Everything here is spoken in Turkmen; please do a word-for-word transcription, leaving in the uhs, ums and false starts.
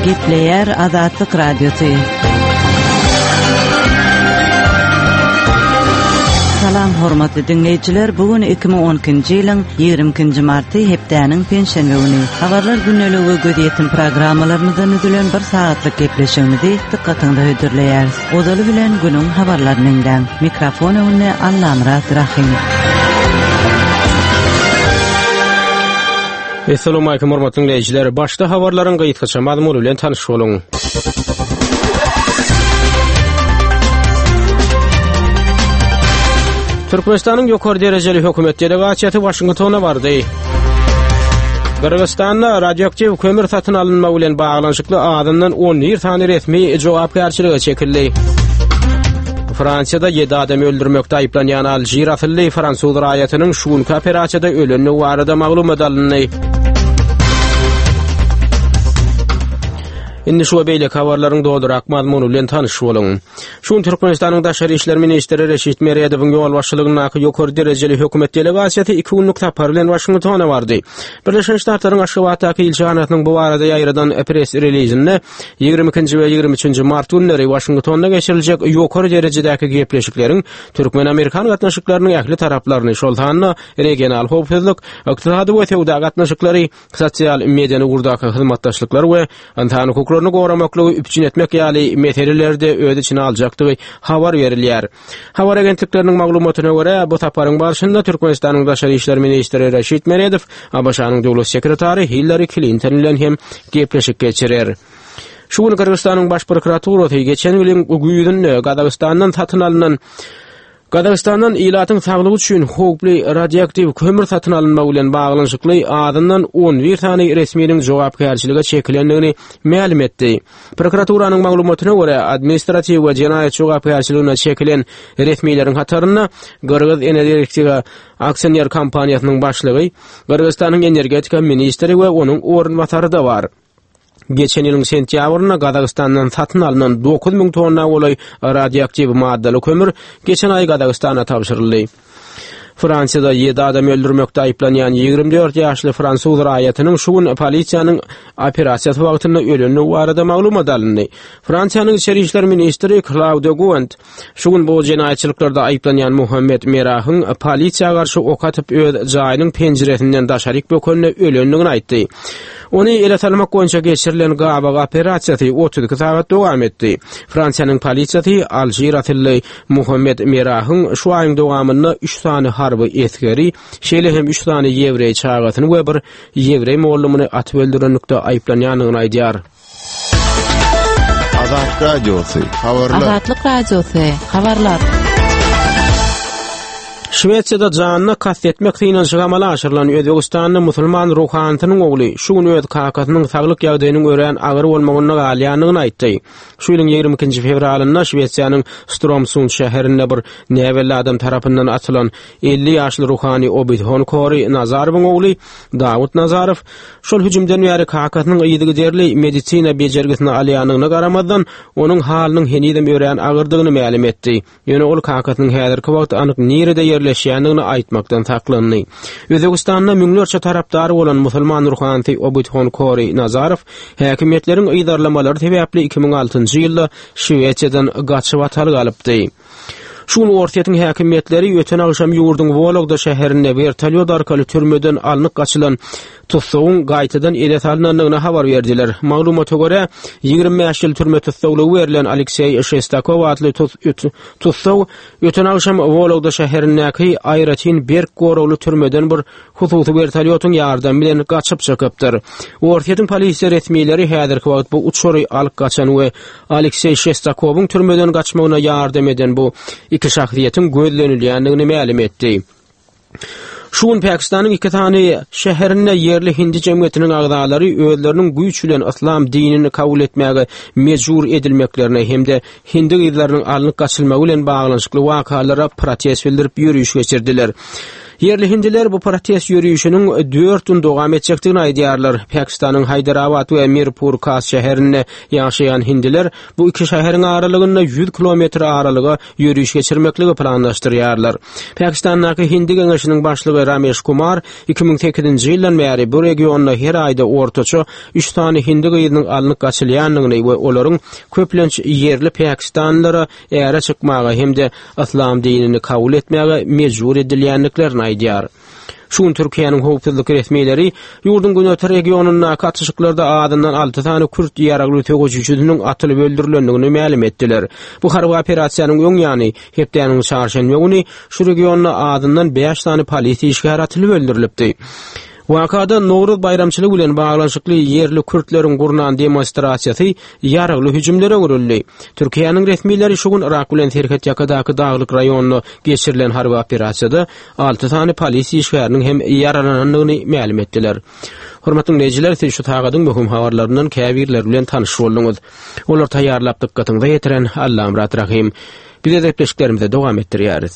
Gepleýär Azatlyk Radiosy. Salam hormatly diňleýjiler, bu gün iki müň on ikinji ýylyň ýigrimi ikinji marty hepdäniň penşenbe güni. Habarlar gündeligi we gözýetim programmalarymyzdan düzülen bir sagatlyk gepleşigimizi dykgatyňyza hödürleýäris. Ozaly bilen günüň habarlaryny diňläň. Mikrofon öňünde Allamyrat Rahim. Assalamu alaykum hormatly dinleýjiler. Başda habarlaryň gysgaça mazmuny bilen tanyş boluň. Türkmenistanyň ýokary derejeli hökümet delegasiýasy Washingtona bardy. Gyrgyzystanda radioaktiw kömür satyn alynmagy bilen baglanyşykly azyndan on bir sany resmi jogapkärçilige çekildi. Fransiýada ýedi adam öldürmekde aýyplanýan Alžir asylly fransuz raýatynyň şu günki operasiýada ölendigi barada maglumat alyndy. Indi şu beýleki habarlaryň dolurak mazmuny bilen tanyş boluň. Şu gün Türkmenistanyň Daşary işler ministri Reşit Meredowyň ýolbaşçylygyndaky ýokary derejeli hökümet delegasiýasy iki günlük sapar bilen Washingtona bardy. Birleşen Ştatlaryň Aşgabatdaky ilçihanasynyň bu barada ýaýradan press relizinde ýigrimi ikinji we ýigrimi üçünji mart günleri Washingtonda geçiriljek ýokary derejedäki gepleşikleriň türkmen-amerikan gatnaşyklarynyň ähli taraplaryny, şol sanda regional howpsuzlyk, ykdysady we söwda gatnaşyklary, sosial medeni ugurdaky hyzmatdaşlyklar we ynsan hukuklaryny goramaklygy üpjün etmek ýaly meselelerde öz içine aljakdygy habar berilýär. Habar agentlikleriniň maglumatyna görä, bu saparyň barşynda Türkmenistanyň Daşary işler ministri Reşit Meredow A B Ş-nyň döwlet sekretary Hillary Clinton bilen hem gepleşik geçirer. Şu gün Gyrgyzystanyň baş prokuraturasy geçen ýylyň güýzünde Gazagystandan satyn alynan Gazagystandan ilatyň saglygy üçin howply radioaktiw kömür satyn alynmagy bilen baglanyşykly azyndan on bir sany resminiň jogapkärçilige çekilendigini mälim etdi. Prokuraturanyň maglumatyna görä, administratiw we jenaýat jogapkärçiligine çekilen resmileriň hatarynda Gyrgyz Energetika aksioner kompaniýasynyň başlygy, Gyrgyzystanyň energetika ministri we onuň orunbasary-da bar. Geçen ýylyň sentýabrynda Gazagystandan satyn alynan dokuz müň tonna golaý radioaktiw maddaly kömür geçen aý Gazagystana tabşyryldy. Fransiýada ýedi adam öldürmekde aýyplanýan ýigrimi dört ýaşly fransuz raýatynyň şu gün polisiýanyň operasiýasy wagtynda ölendigi barada maglumat alyndy. Fransiýanyň içeri işler ministri Claude Guéant şu gün bu jenaýatçylyklarda aýyplanýan Muhammed Merahyň polisiýa garşy ok atyp öz jaýynyň penjiresinden daşaryk bökende ölendigini aýtdy. Ony ele salmak boýunça geçirilen gabak operasiýasy otuz iki sagat dowam etdi. Fransiýanyň polisiýasy Alžir asylly Muhammed Merahyň şu aýyň dowamynda üç sany harby esgeri, şeýle hem üç sany ýewreý çagasyny we bir ýewreý mollumyny atyp öldürenlikde aýyplanýandygyny aýdýar. Azatlyk Radiosy, habarlar. Azatlyk Radiosy, habarlar. Şwetsiýada janyna kast etmek synanyşygy amala aşyrylan Özbegistanda musulman ruhanysynyň ogly şu gün öz kakasynyň saglyk ýagdaýynyň örän agyr bolmagynda galýandygyny aýtdy. Şu ýylyň ýigrimi ikinji fewralynda Şwetsiýanyň Strömsund şäherinde bir näbelli adam tarapyndan atylan elli ýaşly ruhany Obidhon Kori Nazarowyň ogly Dawut Nazarow şol hüjümden bäri kakasynyň yzygiderli medisina bejergisini alýandygyna garamazdan, onuň halynyň henizem örän agyrdygyny mälim etdi. Ýöne ol kakasynyň häzirki wagt anyk nirede ýerleşýändigini aýtmakdan saklandy. Özbegistanda müňlerçe tarapdary bolan musulman ruhanysy Obidhon Kori Nazarow häkimiýetleriň yzarlamalary sebäpli iki müň altynjy ýylda Şwetsiýadan gaçyp ataly galypdy. Şu gün Orsýetiň häkimiýetleri öten agşam ýurduň Wologda şäherinde wertolýot arkaly türmeden alnyp gaçylan tussagyň gaýtadan ele salynandygyny habar berdiler. Maglumata görä, ýigrimi bäş ýyl türme tussaglygy berlen Alekseý Şestakow atly tus-, üt-, tussag öten agşam Wologda şäherindäki aýratyn berk goragly türmeden bir hususy wertolýotyň ýardamy bilen gaçyp çykypdyr. Orsýetiň polisiýa resmileri häzirki wagt bu uçary alyp gaçan we Alekseý Şestakowyň türmeden gaçmagyna ýardam eden bu iki şahsyýetiň gözlenilýändigini mälim etdi. Şu gün Pakistanyň iki sany şäherinde ýerli hindi jemgyýetiniň agzalary özleriniň güýç bilen yslam dinini kabul etmäge mejbur edilmeklerine hem-de hindi gyzlarynyň alnyp gaçylmagy bilen baglanyşykly wakalara protest bildirip ýörüş geçirdiler. Ýerli hindiler bu protest ýörişiniň dört gün dowam etjekdigini aýdýarlar. Pakistanyň Haýdarabat we Mirpur Kas şäherinde ýaşaýan hindiler bu iki şäheriň aralygynda ýüz kilometr aralyga ýöriş geçirmekligi planlaşdyrýarlar. Pakistandaky Hindi geňeşiniň başlygy Ramesh Kumar iki müň sekizinji ýyldan bäri bu regionda her aýda ortaça üç sany hindi gyzynyň alnyp gaçylýandygyny we olaryň köplenç ýerli Pakistanlylara äre çykmaga hem-de yslam dinini kabul etmäge mejbur edilýändiklerini aýdýar. Şu gün Türkiýäniň howpsuzlyk resmileri ýurduň günorta regionyndaky atyşyklarda azyndan alty sany kürt ýaragly söweşijisiniň atylyp öldürilendigini mälim etdiler. Bu harby operasiýanyň öň ýany hepdäniň çarşenbe güni şu regionda azyndan bäş sany polisiýa işgäri atylyp öldürilipdi. Wakada Nowruz baýramçylygy bilen baglanyşykly ýerli kürtleriň gurnan demonstrasiýasy ýaragly hüjümlere öwrüldi. Türkiýäniň resmileri şu gün Irak bilen serhet ýakadaky daglyk raýonynda geçirilen harby operasiýada alty sany polisiýa işgäriniň hem ýaralanandygyny mälim etdiler. Hormatly dinleýjiler, siz şu sagadyň möhüm habarlaryndan käbirleri bilen tanyş bolduňyz. Olar taýýarlap dykgatyňyza ýetiren Allamyrat Rahim. Biz gepleşiklerimize dowam etdirýäris.